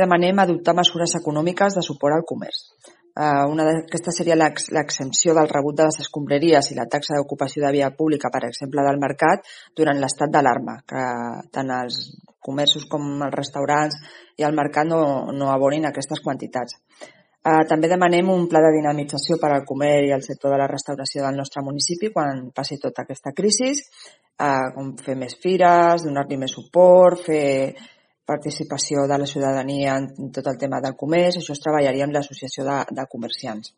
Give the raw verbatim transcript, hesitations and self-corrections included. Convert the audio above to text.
Demanem adoptar mesures econòmiques de suport al comerç. Una d'aquestes seria l'exempció del rebut de les escombraries i la taxa d'ocupació de via pública, per exemple, del mercat, durant l'estat d'alarma, que tant els comerços com els restaurants i el mercat no, no abonin aquestes quantitats. També demanem un pla de dinamització per al comerç i el sector de la restauració del nostre municipi quan passi tota aquesta crisi, com fer més fires, donar-li més suport, fer participació de la ciutadania en tot el tema del comerç. Això es treballaria amb l'associació de, de comerciants.